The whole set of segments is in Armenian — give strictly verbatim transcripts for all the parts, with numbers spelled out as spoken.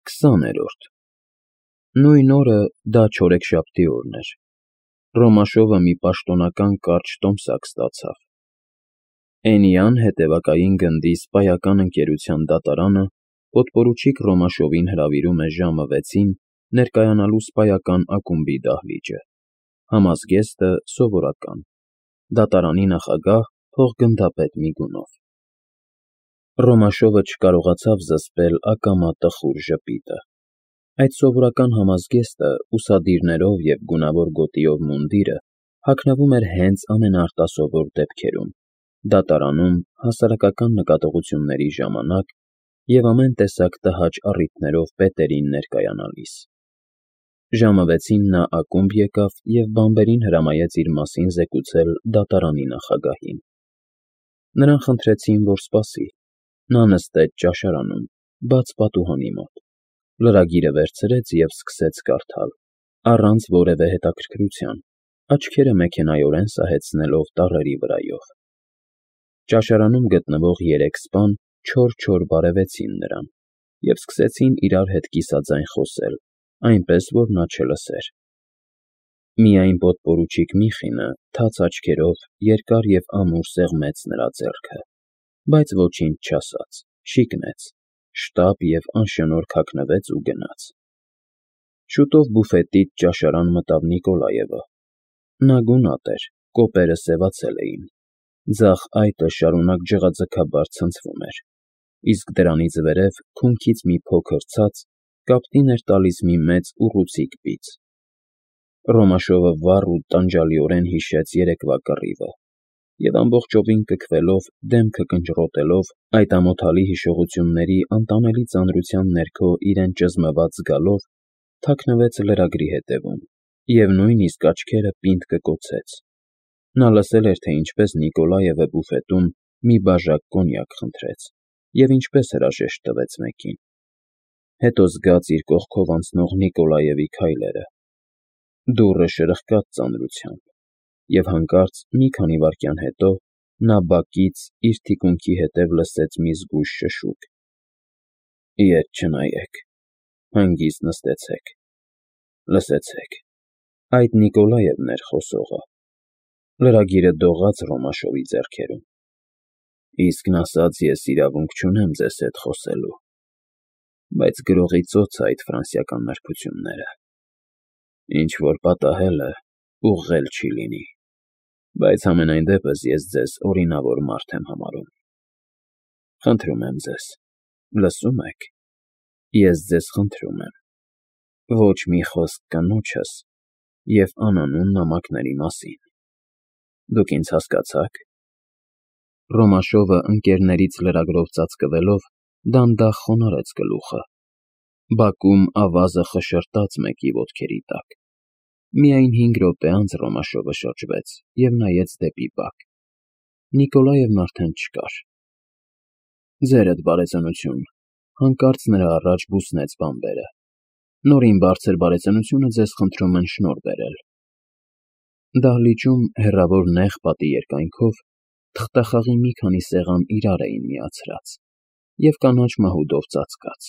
Քսաներորդ Նույն օրը դա չորեքշաբթի օրն էր, Ռոմաշովը մի պաշտոնական կարճ տոմսակ ստացավ. Էնիան հետևակային գնդի սպայական ընկերության դատարանը պոդպորուչիկ Ռոմաշովին հրավիրում է ժամը վեցին ներկայանալու սպայական ակումբի դահլիճը, համազգեստը սովորական, դատարանի նախագահ փոխգնդապետ Միգունով։ Ռոմաշովը չկարողացավ զսպել ակամա տխուր ժպիտը։ Այդ սովորական համազգեստը ուսադիրներով և գունավոր գոտիով մունդիրը հագնվում էր հենց ամենաարտասովոր դեպքերում, դատարանում հասարակական նկատողությունների ժամանակ և ամեն տեսակ տհաճ առիթներով պետերին ներկայանալիս։ Ժամը վեցին նա ակումբ եկավ և բանբերին հրամայեց իր մասին զեկուցել դատարանի նախագահին։ Նրան խնդրեցին, որ սպասի։ Նա նստեց ճաշարանում, բաց պատուհանի մոտ, լրագիրը վերցրեց և սկսեց կարդալ, առանց որևէ հետաքրքրության, աչքերը մեքենայորեն սահեցնելով տառերի վրայով։ Ճաշարանում գտնվող երեք սպան չոր-չոր բարևեցին նրան և սկսեցին իրար հետ կիսաձայն խոսել, այնպես, որ նա չլսեր։ Միայն պոդպորուչիկ Միխինը թաց աչքերով երկար և ամուր սեղմեց նրա ձեռքը, բայց ոչինչ չասաց, շիկնեց, շտապ և անշնորհք հագնվեց ու գնաց։ Շուտով բուֆետից ճաշարան մտավ Նիկոլաևը։ Նա գունատ էր, կոպերը սևացել էին, ձախ այտը շարունակ ջղաձգաբար ցնցվում էր, իսկ դրանից վերև քունքից մի փոքր ցած կապտին էր տալիս մի մեծ ուռուցիկ բիծ։ Ռոմաշովը վառ ու տանջալիորեն հիշեց երեկվա կռիվը և ամբողջովին կքվելով, դեմքը կնճռոտելով, այդ ամոթալի հիշողությունների անտանելի ծանրության ներքո իրեն ճզմված զգալով, թաքնվեց լրագրի հետևում և նույնիսկ աչքերը պինդ կկոցեց։ Նա լսել էր, թե ինչպես Նիկոլաևը բուֆետում մի բաժակ կոնյակ խնդրեց և ինչպես հրաժեշտ տվեց մեկին։ Հետո զգաց իր կողքով անցնող Նիկոլաևի քայլերը։ Դուռը շրխկաց ծանրությամբ, և հանկարծ մի քանի վայրկյան հետո նա բակից իր թիկունքի հետև լսեց մի զգույշ շշուկ. Ետ չնայեք, հանգիստ նստեցեք, լսեցեք, այդ Նիկոլաևն էր խոսողը։ Լրագիրը դողաց Ռոմաշովի ձեռքերում։ Իսկն ասած, ես իրավունք չունեմ ձեզ հետ խոսելու, բայց գրողի ծոց է այդ ֆրանսիական նրբությունները։ Ինչ-որ պատահել է, ուղղել չի լինի, բայց համենայն դեպս ես ձեզ օրինավոր մարդ եմ համարում։ Խնդրում եմ ձեզ, լսո՞ւմ եք, ես ձեզ խնդրում եմ, ոչ մի խոսք կնոջս և անանուն նամակների մասին։ Դուք ինձ հասկացա՞ք։ Ռոմաշովը ընկերներից լրագրով ծածկվելով դանդաղ խոնարհեց գլուխը։ Բակում ավազը խշշրտաց մեկի ոտքերի տակ։ Միայն հինգ րոպե անց Ռոմաշովը շրջվեց և նայեց դեպի բակ։ Նիկոլաևն արդեն չկար։ Ձերդ բարեծանություն, հանկարծ նրա առաջ բուսնեց բանբերը։ Նորին բարձր բարեծանությունը ձեզ խնդրում են շնորհ բերել։ Դահլիճում հեռավոր նեղ պատի երկայնքով թղթախաղի մի քանի սեղան իրար էին միացրած և կանաչ մահուդով ծածկած։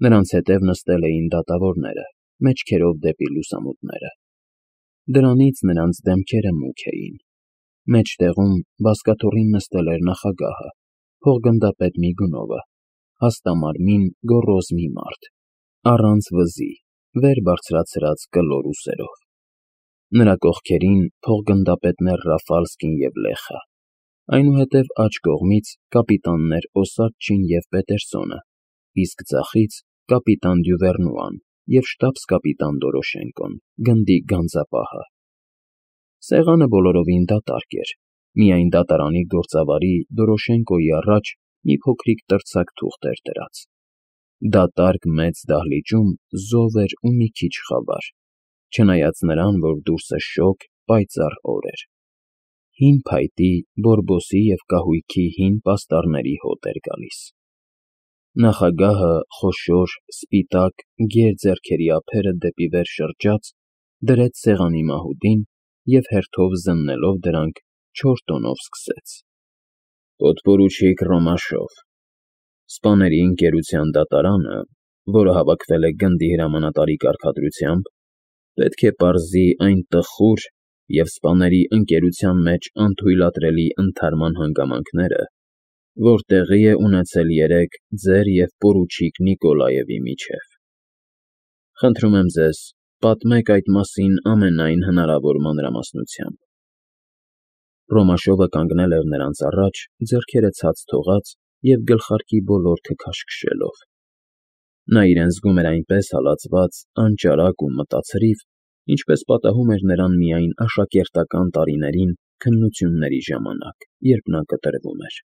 Նրանց հետև նստել էին դատավորները, մեջքերով դեպի լուսամուտները։ Դրանից նրանց դեմքերը մուգ էին։ Մեջտեղում բազկաթոռին նստել էր նախագահը, փոխգնդապետ Միգունովը, հաստամարմին, գոռոզ մի մարդ, առանց վզի, վեր բարձրացրած կլոր ուսերով։ Նրա կողքերին փոխգնդապետներ Ռաֆալսկին և Լեխը, այնուհետև աջ կողմից կապիտաններ Օսադչին և Պետերսոնը, իսկ ձախից կապիտան Դյուվերնուան և շտաբս֊կապիտան Դորոշենկոն, գնդի գանձապահը։ Սեղանը բոլորովին դատարկ էր, միայն դատարանի գործավարի Դորոշենկոյի առաջ մի փոքրիկ տրցակ թուղթ էր դրած։ Դատարկ մեծ դահլիճում զով էր ու մի քիչ խավար, չնայած նրան, որ դուրսը շոգ, պայծառ օր էր։ Հին փայտի, բորբոսի և կահույքի հին պաստառների հոտ էր գալիս։ Նախագահը խոշոր, սպիտակ, գեր ձեռքերի ափերը դեպի վեր շրջած, դրեց սեղանի մահուդին և հերթով զննելով դրանք չոր տոնով սկսեց. Պոդպորուչիկ Ռոմաշով, սպաների ընկերության դատարանը որը հավաքվել է գնդի հրամանատարի կարգադրությամբ, պետք է պարզի այն տխուր և սպաների ընկերության մեջ անթույլատրելի ընդհարման հանգամանքները, որ տեղի է ունեցել երեկ ձեր և պորուչիկ Նիկոլաևի միջև։ Խնդրում եմ ձեզ, պատմեք այդ մասին ամենայն հնարավոր մանրամասնությամբ։ Ռոմաշովը կանգնել էր նրանց առաջ, ձեռքերը ցած թողած և գլխարկի բոլորքը քաշքշելով։ Նա իրեն զգում էր այնպես հալածված, անճարակ ու մտացրիվ, ինչպես պատահում էր նրան միայն աշակերտական տարիներին քննությունների ժամանակ, երբ նա կտրվում էր։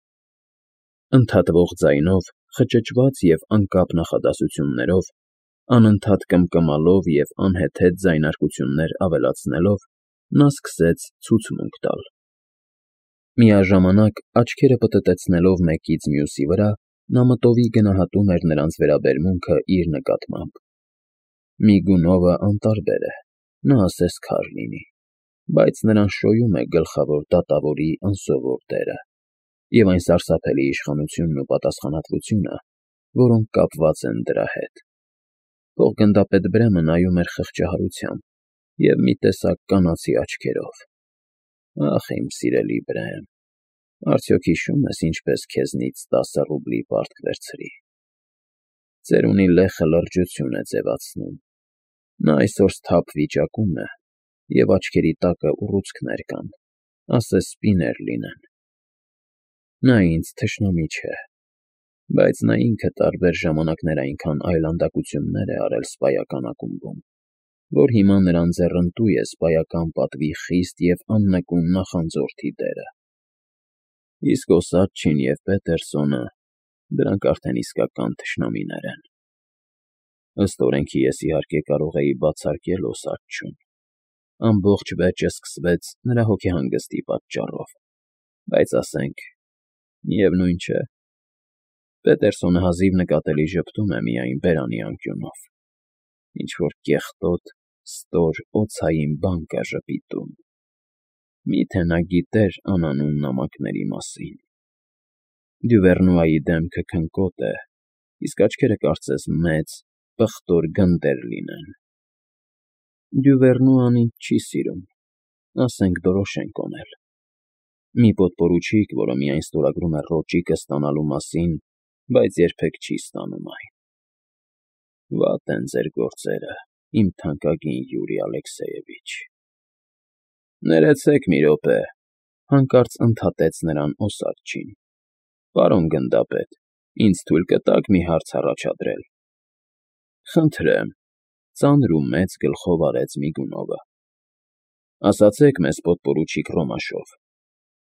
Ընդհատվող ձայնով, խճճված և անկապ նախադասություններով, անընդհատ կմկմալով և անհեթեթ ձայնարկություններ ավելացնելով, նա սկսեց ցուցմունք տալ։ Միաժամանակ, աչքերը պտտեցնելով մեկից մյուսի վրա, նա մտովի գնահատում էր նրանց վերաբերմունքը իր նկատմամբ։ Միգունովը անտարբեր է, նա ասես քար լինի, բայց նրան շոյում է գլխավոր դատավորի անսովոր դերը և այն սարսափելի իշխանությունն ու պատասխանատվությունը, որոնք կապված են դրա հետ։ Փոխգնդապետ Բրեմը նայում էր խղճահարությամբ և մի տեսակ կանացի աչքերով։ Ախ, իմ սիրելի Բրեմ, արդյոք հիշո՞ւմ ես, ինչպես քեզնից տասը ռուբլի պարտք վերցրի։ Ծերունի լեխը լրջություն է ձևացնում։ Նա այսօր սթափ վիճակում է, և աչքերի տակը ուռուցքներ կան, ասես սպիներ լինեն։ Նա ինձ թշնամի չէ, բայց նա ինքը տարբեր ժամանակներ այնքան այլանդակություններ է արել սպայական ակումբում, որ հիմա նրան ձեռնտու է սպայական պատվի խիստ և աննկուն նախանձորդի դերը։ Իսկ Օսադչին և Պետերսոնը, դրանք արդեն իսկական թշնամիներ են։ Ըստ օրենքի ես իհարկե կարող էի բացարկել Օսադչուն։ Ամբողջ վեճը սկսվեց նրա հոգեհանգստի պատճառով, բայց ասենք, միևնույն չէ, Պետերսոնը հազիվ նկատելի ժպտում է միայն բերանի անկյունով, ինչ֊որ կեղտոտ, ստոր օձային բան կա ժպիտում։ Մի՞թե նա գիտեր անանուն նամակների մասին։ Դյուվերնուայի դեմքը քնկոտ է, իսկ աչքերը կարծես մեծ, պղտոր գնդեր լինեն։ Դյուվերնուան ինձ չի սիրում, ասենք Դորոշենկոն էլ։ Մի պոդպորուչիկ, որը միայն ստորագրում է ռոճիկը ստանալու մասին, բայց երբեք չի ստանում այն։ Վատ են ձեր գործերը, իմ թանկագին Յուրի Ալեքսեևիչ։ Ներեցեք մի րոպե, հանկարծ ընդհատեց նրան Օսադչին։ Պարոն գնդապետ, ինձ թույլ կտա՞ք մի հարց առաջադրել։ Խնդրեմ, ծանր ու մեծ գլխով արեց Միգունովը։ Ասացեք մեզ, պոդպորուչիկ Ռոմաշով,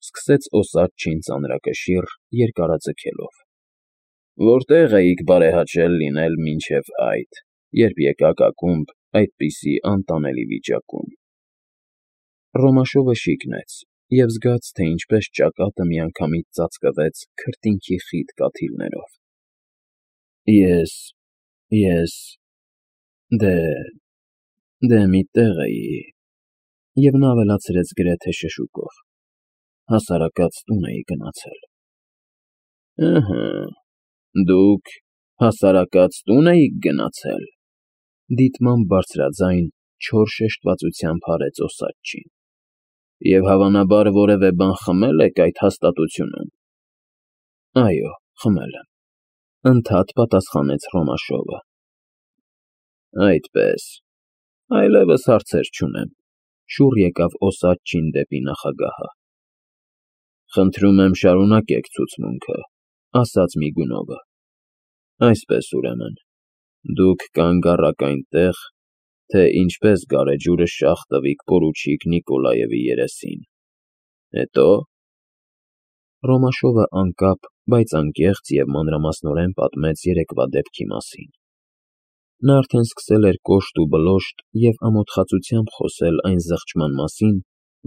սկսեց Օսադչին ծանրակշիռ, երկարաձգելով. Որտե՞ղ էիք բարեհաճել լինել մինչև այդ, երբ եկաք ակումբ այդպիսի անտանելի վիճակում։ Ռոմաշովը շիկնեց և զգաց, թե ինչպես ճակատը միանգամից ծածկվեց քրտինքի խիտ կաթիլներով։ Ես… ես… դե… դե մի տեղ էի… և նա ավելացրեց գրեթե շշուկով. հասարակած տուն էի գնացել։ Ըհը, դուք հասարակած տուն էիք գնացել, դիտմամբ բարձրաձայն, չոր շեշտվածությամբ հարց Օսադչին։ Եվ հավանաբար որևէ բան խմել եք այդ հաստատությունում։ Այո, խմել եմ, ընդհատ պատասխանեց Ռոմաշովը։ Այդպես, այլևս հարցեր չունեմ, շուռ եկավ Օսադչին դեպի նախագահը։ Խնդրում եմ շարունակեք ցուցմունքը, ասաց Միգունովը։ Այսպես, ուրեմն, դուք կանգ առաք այնտեղ, թե ինչպես գարեջուրը շաղ տվիք պորուչիկ Նիկոլաևի երեսին։ Հետո… Ռոմաշովը անկապ, բայց անկեղծ և մանրամասնորեն պատմեց երեկվա դեպքի մասին։ Նա արդեն սկսել էր կոշտ ու բլոշտ և ամոթխածությամբ խոսել այն զղջման մասին,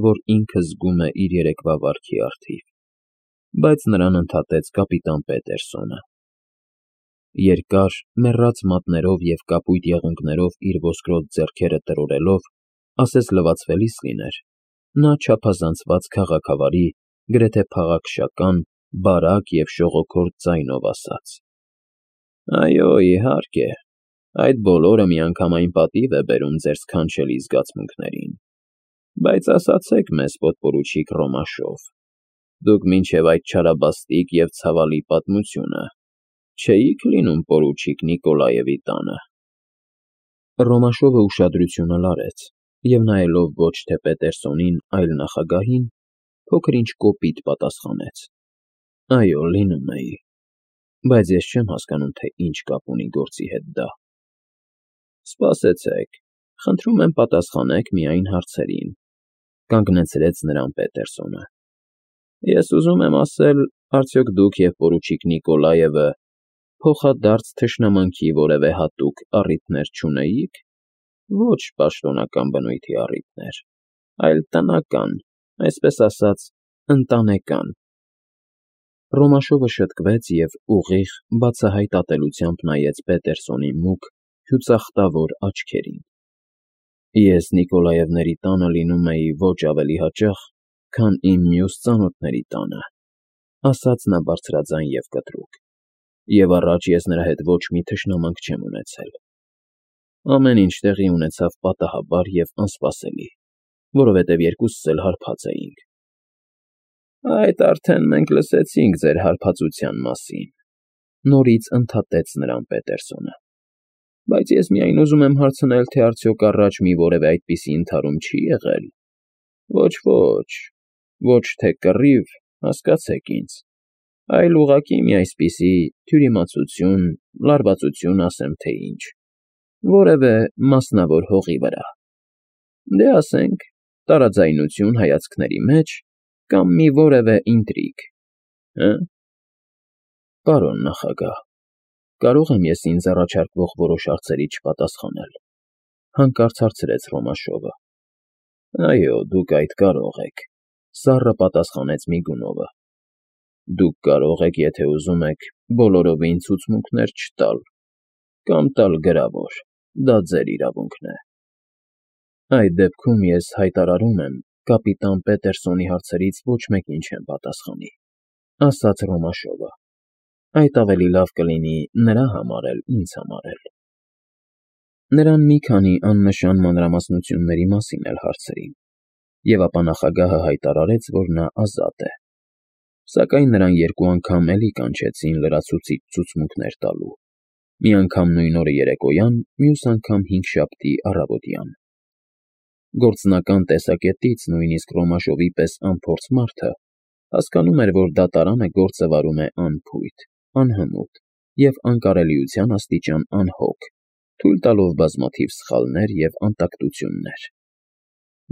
որ ինքը զգում է իր երեկվա վարքի առթիվ, բայց նրան ընդհատեց կապիտան Պետերսոնը։ Երկար, մեռած մատներով և կապույտ եղունգներով իր ոսկրոտ ձեռքերը տրորելով, ասես լվացվելիս լիներ, նա չափազանցված քաղաքավարի, գրեթե փաղաքշական, բարակ և շողոքորթ ձայնով ասաց. Այո, իհարկե, Այդ բոլորը միանգամայն պատիվ է բերում ձեր սքանչելի զգացմունքներին, բայց ասացեք մեզ, պոդպորուչիկ Ռոմաշով, դուք մինչև այդ չարաբաստիկ և ցավալի պատմությունը չէի՞ք լինում պորուչիկ Նիկոլաևի տանը։ Ռոմաշովը ուշադրությունը լարեց և նայելով ոչ թե Պետերսոնին, այլ նախագահին, փոքր-ինչ կոպիտ պատասխանեց. Այո, լինում էի, բայց ես չեմ հասկանում, թե ինչ կապ ունի գործի հետ դա։ Սպասեցեք, խնդրում եմ պատասխանեք միայն հարցերին, կանգնեցրեց նրան Պետերսոնը։ Ես ուզում եմ ասել, արդյոք դուք և պորուչիկ Նիկոլաևը փոխադարձ թշնամանքի որևէ հատուկ առիթներ չունեիք։ Ոչ պաշտոնական բնույթի առիթներ, այլ տնական, այսպես ասած, ընտանեկան։ Ռոմաշովը շտկվեց և ուղիղ, բացահայտ ատելությամբ նայեց Պետերսոնի մուգ, հյուծախտավոր աչքերին։ Ես Նիկոլաևների տանը լինում էի ոչ ավելի հաճախ, քան իմ մյուս ծանոթների տանը, ասաց նա բարձրաձայն և կտրուկ, և առաջ ես նրա հետ ոչ մի թշնամանք չեմ ունեցել։ Ամեն ինչ տեղի ունեցավ պատահաբար և անսպասելի, որովհետև երկուսս էլ հարբած էինք։ Այդ արդեն մենք լսեցինք ձեր հարբածության մասին, նորից ընդհատեց նրան Պետերսոնը, բայց ես միայն ուզում եմ հարցնել, թե արդյոք առաջ մի որևէ այդպիսի ընդհարում չի եղել։ Ոչ, ոչ, ոչ թե կռիվ, հասկացեք ինձ, այլ ուղղակի մի այսպիսի թյուրիմացություն, լարվածություն, ասեմ թե ինչ, որևէ մասնավոր հողի վրա, դե ասենք, տարաձայնություն հայացքների մեջ կամ մի որևէ ինտրիգ, հը՞։ Պարոն նախագահ, կարո՞ղ եմ ես ինձ առաջարկվող որոշ հարցերի չպատասխանել, հանկարծ հարցրեց Ռոմաշովը։ Այո, դուք այդ կարող եք, սառը պատասխանեց Միգունովը։ Դուք կարող եք, եթե ուզում եք, բոլորովին ցուցմունքներ չտալ, կամ տալ գրավոր, դա ձեր իրավունքն է։ Այդ դեպքում ես հայտարարում եմ կապիտան Պետերսոնի հարցերից ոչ մեկին չեմ պատասխանի, ասաց Ռոմաշովը։ Այդ ավելի լավ կլինի նրա համար էլ, ինձ համար էլ։ Նրան մի քանի աննշան մանրամասնությունների մասին էլ հարցրին, և ապա նախագահը հայտարարեց, որ նա ազատ է, սակայն նրան երկու անգամ էլի կանչեցին լրացուցիչ ցուցմունքներ տալու, մի անգամ նույն օրը երեկոյան, մյուս անգամ հինգշաբթի առավոտյան։ Գործնական տեսակետից նույնիսկ Ռոմաշովի պես անփորձ մարդը հասկանում էր, որ դատարանը գործը վարում է անփույթ, անհմուտ և անկարելիության աստիճան անհոգ, թույլ տալով բազմաթիվ սխալներ և անտակտություններ։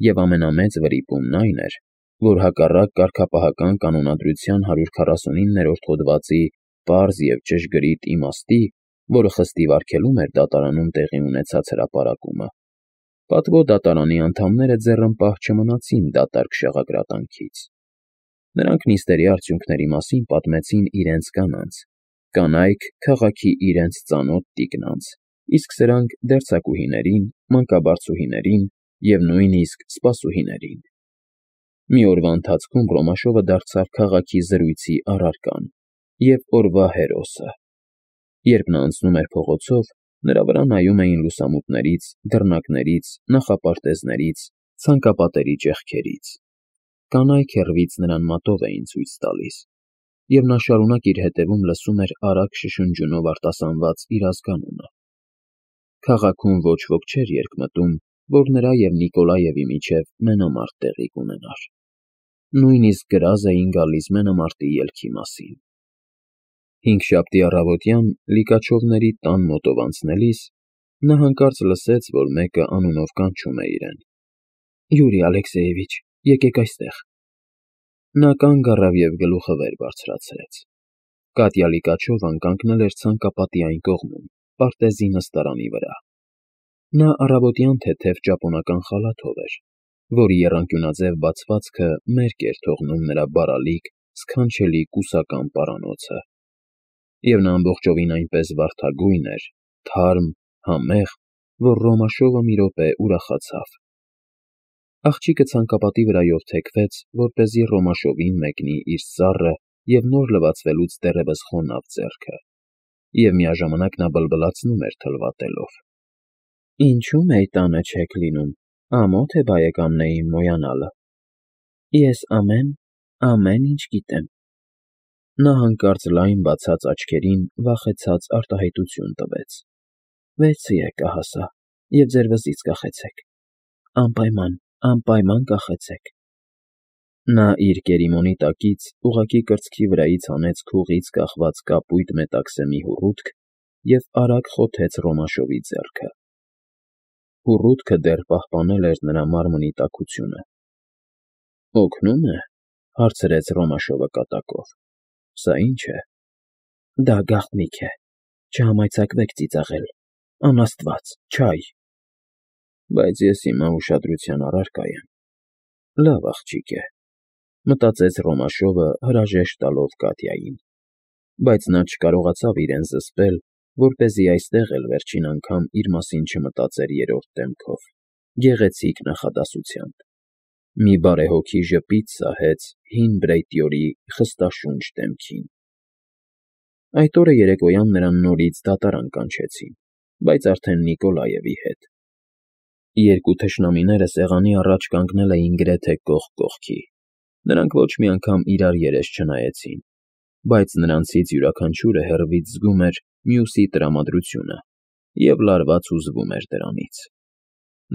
Եվ ամենամեծ վրիպումն այն էր, որ հակառակ կարգապահական կանոնադրության հարյուր քառասունիններորդ հոդվածի պարզ և ճշգրիտ իմաստի, որը խստիվ արգելում էր դատարանում տեղի ունեցած հրապարակումը, պատվո դատարանի անդամները ձեռնպահ չմնացին դատարկ շաղակրատանքից։ Նրանք նիստերի արդյունքների մասին պատմեցին իրենց կանանց, կանայք քաղաքի իրենց ծանոթ տիկնանց, իսկ սրանք դերձակուհիներին, մանկաբարձուհիներին և նույնիսկ սպասուհիներին։ Մի օրվա ընթացքում Ռոմաշովը դարձավ քաղաքի զրույցի առարկան և օրվա հերոսը։ Երբ նա անցնում էր փողոցով, նրա վրա նայում էին լուսամուտներից, դռնակներից, նախապարտեզներից, ցանկապատերի ճեղքերից։ Կանայք հեռվից նրան մատով էին ցույց տալիս, և նա շարունակ իր հետևում լսում էր արագ շշնջյունով արտասանված իր ազգանունը։ Քաղաքում ոչ ոք չէր երկմտում, որ նրա և Նիկոլաևի միջև մենամարտ տեղի կունենար։ Նույնիսկ գրազ էին գալիս մենամարտի ելքի մասին։ Հինգշաբթի առավոտյան Լիկաչովների տան մոտով անցնելիս նա հանկարծ լսեց, որ մեկը անունով կանչում է իրեն. Յուրի Ալեքսեևիչ, եկեք այստեղ։ Նա կանգ առավ և գլուխը վեր բարձրացրեց։ Կատյա Լիկաչովան կանգնել էր ցանկապատի այն կողմում, պարտեզի նստարանի վրա։ Նա առավոտյան թեթև ճապոնական խալաթով էր, որի եռանկյունաձև բացվածքը մերկ էր թողնում նրա բարալիկ, սքանչելի կուսական պարանոցը, և նա ամբողջովին այնպես վարդագույն էր, թարմ, համեղ, որ Ռոմաշովը մի րոպե ուրախացավ։ Աղջիկը ցանկապատի վրայով թեքվեց, որպեսզի Ռոմաշովին մեկնի իր սառը և նոր լվացվելուց դեռևս խոնավ ձեռքը, և միաժամանակ նա բլբլացնում էր թլվատելով. Ինչու մեի տանը չեք լինում, ամոթ է բարեկամներին մոյանալը։ Ես ամեն, ամեն ինչ գիտեմ։ Նա հանկարծ լայն բացած աչքերին վախեցած արտահայտություն տվեց. Վերցրի եկա և ձեր վզից կախեցեք, անպայման, անպայման կախեցեք։ Նա իր գերիմոնի տակից ուղղակի կրծքի վրայից հանեց քուղից կախված կապույտ մետաքսեմի հուռութք և արագ խոթեց Ռոմաշովի ձեռքը։ Հուռութքը դեռ պահպանել էր նրա մարմնի տաքությունը։ Օգնո՞ւմ է,֊ հարցրեց Ռոմաշովը կատակով։ Սա ի՞նչ է։ Դա գաղտնիք է, չհամարձակվեք ծիծաղել, անաստված, չայ։ Բայց ես հիմա ուշադրության առարկա եմ։ Լավ աղջիկ է,֊ մտածեց Ռոմաշովը հրաժեշտ տալով Կատյային, բայց նա չկարողացավ իրեն զսպել, որպեսզի այստեղ էլ վերջին անգամ իր մասին չմտածեր երրորդ դեմքով, գեղեցիկ նախադասությամբ։ Մի բարեհոգի ժպիտ սահեց հին բրեյտյորի խստաշունչ դեմքին։ Այդ օրը երեկոյան նրան նորից դատարան կանչեցին, բայց արդեն Նիկոլաևի հետ։ Երկու թշնամիները սեղանի առաջ կանգնել էին գրեթե կողք կողքի։ Նրանք ոչ մի անգամ իրար երես չնայեցին, բայց նրանցից յուրաքանչյուրը հեռվից զգում էր մյուսի տրամադրությունը և լարված հուզվում էր դրանից։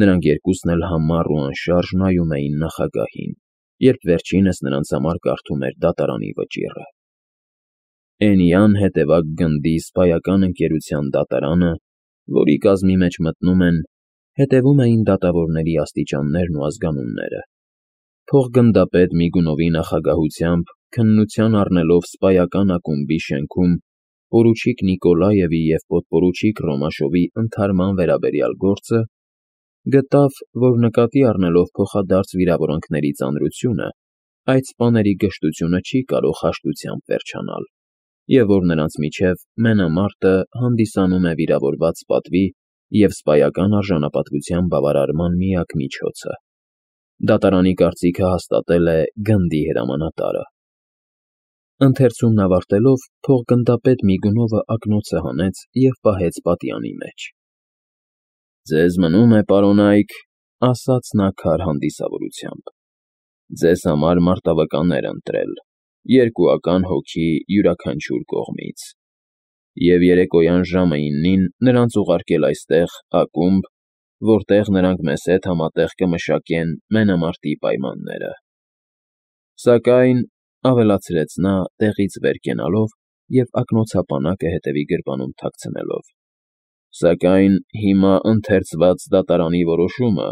Նրանք երկուսն էլ համառ ու անշարժ նայում էին նախագահին, երբ վերջինս նրանց համար կարդում էր դատարանի վճիռը։ Էնյան հետևակ գնդի սպայական ընկերության դատարանը, որի կազմի մեջ մտնում են, հետևում էին դատավորների աստիճաններն ու ազգանունները։ Փոխգնդապետ Միգունովի նախագահությամբ քննության առնելով սպայական ակումբի շենքում պորուչիկ Նիկոլաևի և պոդպորուչիկ Ռոմաշովի ընդհարման վերաբերյալ գործը, գտավ, որ նկատի առնելով փոխադարձ վիրավորանքների ծանրությունը, այդ սպաների գժտությունը չի կարող հաշտությամբ վերջանալ, և որ նրանց միջև մենամարտը հանդիսանում է վիրավորված պատվի և սպայական արժանապատվության բավարարման միակ միջոցը։ Դատարանի կարծիքը հաստատել է գնդի հրամանատարը։ Ընթերցումն ավարտելով, փոխգնդապետ Միգունովը ակնոցը հանեց և պահեց պատյանի մեջ։ Ձեզ մնում է, պարոնայք,֊ ասաց նա քար հանդիսավորությամբ,֊ ձեզ համար մարտավկաններ ընտրել, երկուական հոգի յուրաքանչյուր կողմից, և երեկոյան ժամը իննին նրանց ուղարկել այստեղ, ակումբ, որտեղ նրանք մեզ հետ համատեղ կմշակեն մենամարտի պայմանները։ Սակայն,֊ ավելացրեց նա՝ տեղից վեր կենալով և ակնոցապանակը հետևի գրպանում թաքցնելով,֊ սակայն հիմա ընթերցված դատարանի որոշումը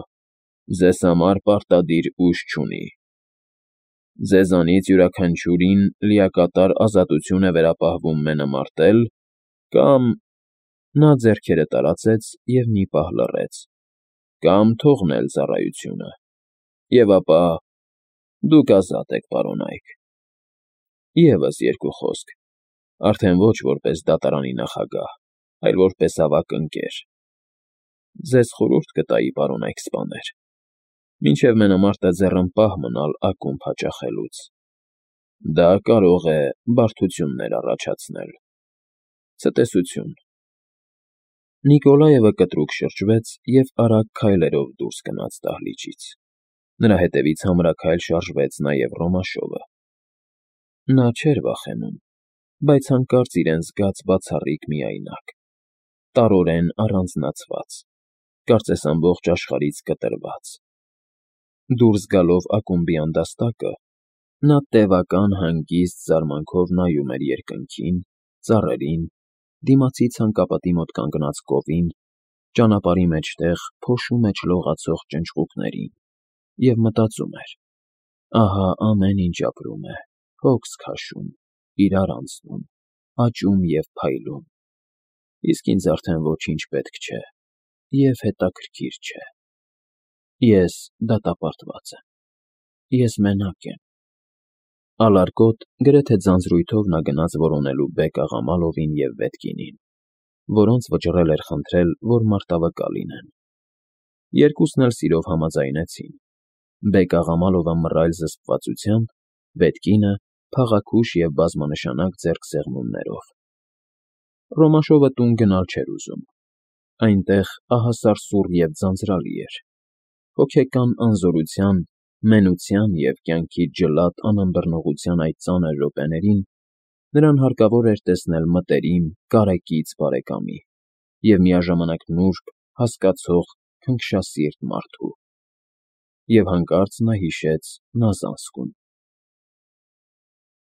ձեզ համար պարտադիր ուժ չունի։ Ձեզանից յուրաքանչյուրին լիակատար ազատություն է վերապահվում մենամարտել կամ,֊ նա ձեռքերը տարածեց և մի պահ լռեց,֊ կամ թողնել ծառայությունը։ Եվ ապա դուք ազատ եք, պարոնայք։ Եվս երկու խոսք, արդեն ոչ որպես դատարանի նախագահ, այլ որպես ավագ ընկեր։ Ձեզ խորհուրդ կտայի, պարոնայք սպաներ, մինչև մենամարտը ձեռնպահ մնալ ակումբ հաճախելուց։ Դա կարող է բարդություններ առաջացնել։ Ցտեսություն։ Նիկոլաևը կտրուկ շրջվեց և արագ քայլերով դուրս գնաց դահլիճից։ Նրա հետևից համրաքայլ շարժվեց նաև Ռոմաշովը։ Նա չէր վախենում, բայց հանկարծ իրեն զգաց բացառիկ միայնակ, տարորեն առանձնացված, կարծես ամբողջ աշխարհից կտրված։ Դուրս գալով ակումբի անդաստակը, նա տևական հանգիստ զարմանքով նայում էր երկնքին, ծառերին, դիմացի ցանկապատի մոտ կանգնած կովին, ճանապարհի մեջտեղ փոշու մեջ լողացող ճնճղուկներին և մտածում էր. ահա ամեն ինչ ապրում է, հոգս քաշում, իրար անցնում, աճում և փայլում, իսկ ինձ արդեն ոչինչ պետք չէ և հետաքրքիր չէ։ Ես դատապարտված եմ, ես մենակ եմ։ Ալարկոտ, գրեթե ձանձրույթով նա գնաց որոնելու Բեկ֊աղա Մալովին և Վետկինին, որոնց վճռել էր խնդրել, որ մարտավկա լինեն։ Երկուսն էլ սիրով համաձայնեցին, Բեկ֊աղա Մալովը մռայլ զսպվածությամբ, Վետկինը՝ փաղաքուշ և բազմանշանակ ձեռքսեղմումներով։ Ռոմաշովը տուն գնալ չէր ուզում. այնտեղ ահասարսուռ և ձանձրալի էր, հոգեկան անզորության, մենության և կյանքի ջլատ անըմբռնողության այդ ծանր րոպեներին նրան հարկավոր էր տեսնել մտերիմ, կարեկից բարեկամի և միաժամանակ նուրբ, հասկացող, քնքշասիրտ մարդու… Եվ հանկարծ նա հիշեց Նազանսկուն։